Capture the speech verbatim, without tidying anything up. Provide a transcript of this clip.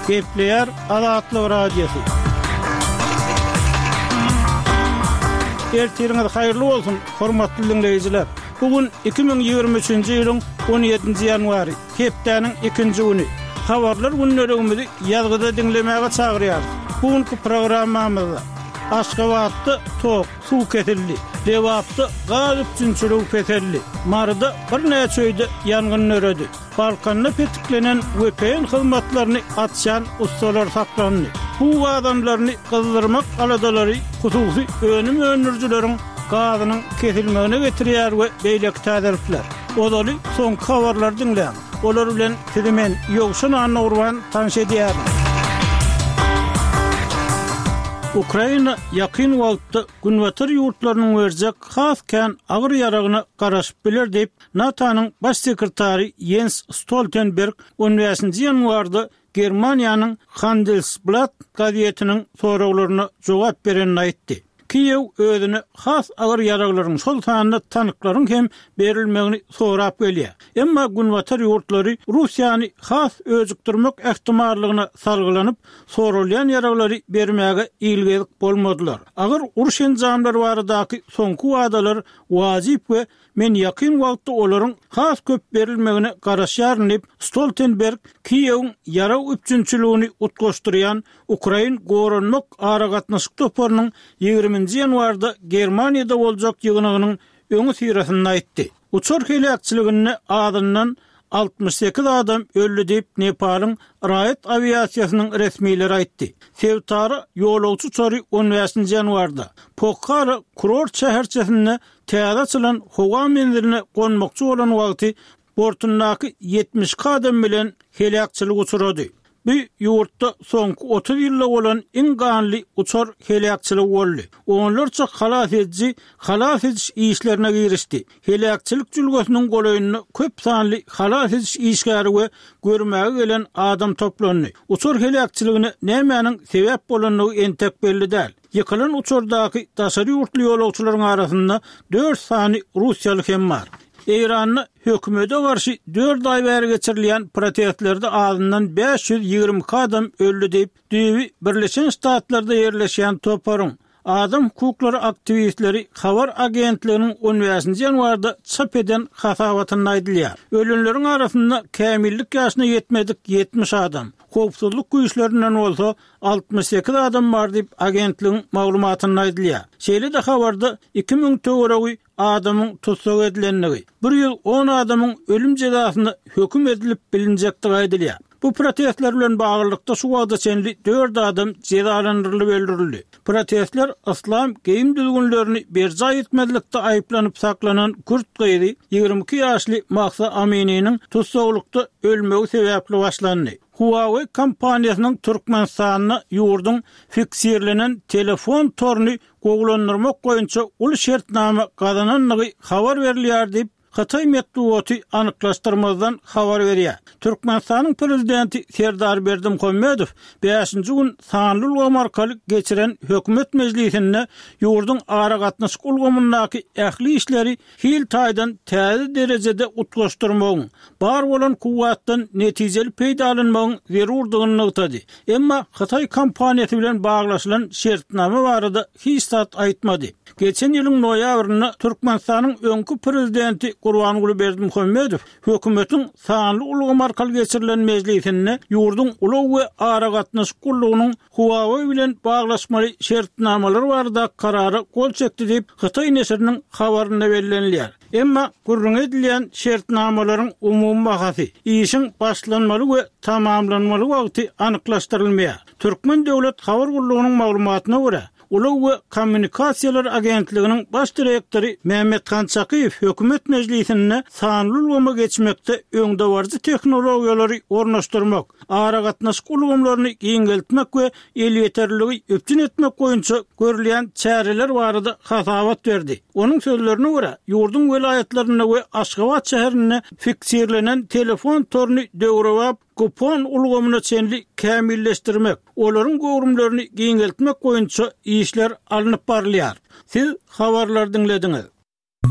Gepleýär Azatlyk Radiosy. Ertiriňiz haýyrly bolsun, hormatly diňleýjiler! Bu gün iki müň ýigrimi üçünji ýylyň on ýedinji ýanwary, hepdäniň ikinji güni. Habarlar gündeligimizi ýazgyda diňlemäge çagyrýarys. Bu günki programmamyzda Aşgabatda tok, suw kesildi, Lebapda gaz üpjünçiligi peseldi, Maryda birnäçe öýde ýangyn döredi. Balkanda petiklenen vpn hyzmatlaryny açýan ussalar saklandy. Suw gazanlaryny gyzdyrmak aladalary hususy önüm öndürijileriň gazynyň kesilmegine getirýär we beýleki täzelikler. Ozaly soňky habarlary diňläň. Olar bilen sizi men, Ýowşan Annagurban tanyş edýärin. Ukraina ýakyn wagtda Günbatar ýurtlarynyň berjek has kän agyr ýaragyna garaşyp biler diýip, NATO-nyň Baş sekretary Ýens Stoltenberg on bäşinji ýanwarda Germaniýanyň Handelsblatt gazetiniň soraglaryna jogap berende aýtdy. Kiýew özüne has agyr ýaraglaryň, şol sanda tanklaryň hem berilmegini sorap gelýär. Emma Günbatar ýurtlary Russiýany has öjükdirmek ähtimallygyna salgylanyp, soralýan ýaraglary bermäge ilgezik bolmadylar. Agyr uruş enjamlary baradaky soňky wadalar wajyp we Men ýakyn wagtda olaryň has köp berilmegine garaşýaryn diýip, Stoltenberg Kiýewiň ýarag üpjünçiligini utgaşdyrýan Ukrain goranmak aragatnaşyk toparynyň ýigriminji ýanwarda Germaniýada boljak ýygnagynyň öňüsyrasynda aýtdy. Uçar heläkçiliginde azyndan altmyş sekiz adam öldi diýip, Nepalyň raýat awiasiýasynyň resmileri aýtdy. Sebitara ýolagçy uçary on bäşinji ýanwarda Pokhara kurort şäherçesinde täze açylan howa menziline gonmakçy bolan wagty bortundaky ýetmiş iki adam bilen heläkçilige uçrady. Bu ýurtda soňky otuz ýylda bolan iň ganly uçar heläkçiligi boldy. Onlarça halas ediji halas ediş işlerine girişdi. Heläkçilik jülgesiniň golaýynda köp sanly halas ediş işgäri we görmäge gelen adam toplandy. Uçar heläkçiligine nämäniň sebäp bolandygy entek belli däl. Ýykylan uçardaky daşary ýurtly ýolagçylaryň arasynda dört sany russiýaly hem bar. Eýranda hökümete garşy dört aý bäri geçirilýän protestlerde azyndan bäş ýüz ýigrimi iki adam öldi diýip, düýbi Birleşen Ştatlarda ýerleşýän toparyň adam hukuklary aktiwistleri habar agentliginiň on bäşinji ýanwarda çap eden hasabatynda aýdylýar. Ölenleriň arasynda kämillik ýaşyna ýetmedik ýetmiş adam, howpsuzlyk güýçlerinden bolsa altmyş sekiz adam bar diýip, agentligiň maglumatynda aýdylýar. Şeýle-de habarda iki müň töweregi adamyň tussag edilendigi, bir ýüz on adamyň ölüm jezasyna höküm edilip bilinjekdigi aýdylýar. Bu protestler bilen baglylykda şu wagta çenli dört adam jezalandyrylyp öldürildi. Protestler yslam geýim düzgünlerini berjaý etmezlikde aýyplanyp saklanan kürt gyzy, ýigrimi iki ýaşly Mahsa Amininiň tussaglykda ölmegi sebäpli başlandy. Huawei kompaniýasynyň Türkmenistanda ýurduň fiksirlenen telefon toruny gowulandyrmak boýunça uly şertnama gazanandygy habar berilýär diýip, hytaý metbugaty anyklaşdyrmazdan habar berýär. Türkmenistanyň Prezidenti Serdar Berdimuhamedow bäşinji gün sanly ulgam arkaly geçiren hökümet mejlisinde ýurduň aragatnaşyk ulgamyndaky ähli işleri hil taýdan täze derejede utgaşdyrmagyň, bar bolan kuwwatdan netijeli peýdalanmagyň zerurdygyny nygtady. Emma hytaý kompaniýasy bilen baglaşylan şertnama barada hiç zat aýtmady. Geçen ýylyň noýabrynda Türkmenistanyň öňki prezidenti Gurbanguly Berdimuhamedow hökümetiň sanly ulgam arkaly geçirilen mejlisinde ýurduň ulag we aragatnaşyk gullugynyň Huawei bilen baglaşmaly şertnamalar baradaky karara gol çekdi diýip, hytaý neşiriniň habarynda bellenilýär. Emma gürrüňi edilýän şertnamalaryň umumy bahasy, işiň başlanmaly we tamamlanmaly wagty anyklaşdyrylmaýar. Türkmen döwlet habar gullugynyň maglumatyna görä, Ulag we kommunikasiýalar agentliginiň baş direktory Mämmethan Çakyýew hökümet mejlisinde sanly ulgama geçmekde öňdebaryjy tehnologiýalary ornaşdyrmak, aragatnaşyk ulgamlaryny giňeltmek we elýeterliligi üpjün etmek boýunça görülýän çäreler barada hasabat berdi. Onuň sözlerine görä, ýurduň welaýatlarynda we Aşgabat şäherinde fiksirlenen telefon toruny döwrebap kupon ulgamyna çenli kämilleşdirmek, olaryň göwrümlerini giňeltmek boýunça işler alnyp barylýar. Siz habarlary diňlediňiz.